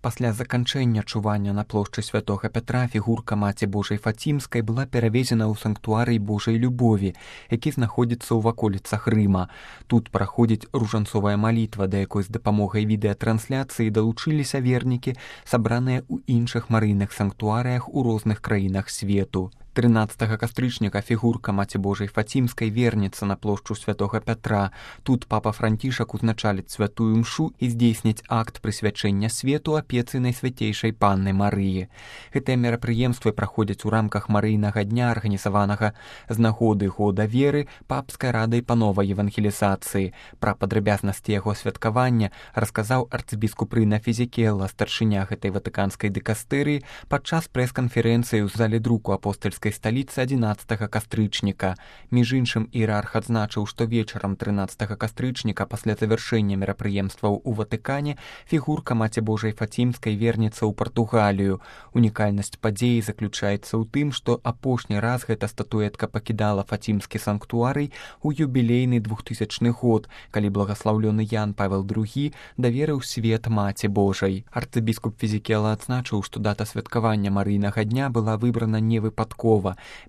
Пасля заканчэння чування на плошчы святога Пятра фігурка Маці Божай Фацімскай была перавезена ў санктуарый Божай любові, які знаходзіцца ў ваколіцах Рыма. Тут праходзіць ружанцовая малітва, да якой з дапамогай відэатрансляцыі далучыліся вернікі, сабраныя ў іншых марыйных санктуарыях у розных краінах свету. 13 кастрычніка фігурка Маці Божай Фацімскай вернецца на плошчу святога Пятра. Тут папа Францішак узначаліць святую мшу і здзейсніць акт прысвячэння свету апецы Найсвяцейшай Панны Марыі. Гэтыя мерапрыемствы праходзяць у рамках марыйнага дня, арганізаванага з нагоды года веры папскай радай па новай евангелізацыі. Пра падрабязнасці яго святкавання расказаў арцыбіскуп Рына Фізікела, старшыня гэтай ватыканскай дыкастэрыі, падчас прэс-канферэнцыі ў зале друку апостальскай сталіцы 11 кастрычніка. Між іншым, іерарх адзначыў, што вечарам 13 кастрычніка пасля завяршэння мерапрыемстваў у Ватыкане фігурка Маці Божай Фацімскай вернецца ў Партугалію. Унікальнасць падзеі заключаецца ў тым, што апошні раз гэта статуэтка пакідала Фацімскі санктуарый у юбілейны 2000 год, калі благаслаўлёны Ян Павел II даверыў свет Маці Божай. Арцыбіскуп Фізікела адзначыў, што дата святкавання марыйнага дня была выбрана не выпадкова.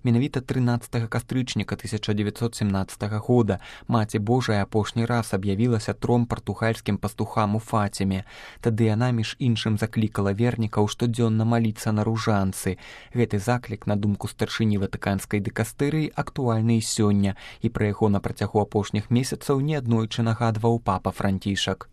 Менавіта 13 кастрычніка 1917 года Маці Божая апошні раз аб'явілася 3 партугальскім пастухам у Фаціме. Тады яна, між іншым, заклікала вернікаў штодзённа маліцца на ружанцы. Гэты заклік, на думку старшыні ватыканскай дыкастэрыі, актуальны і сёння, і пра яго на працягу апошніх месяцаў неаднойчы нагадваў папа Францішак.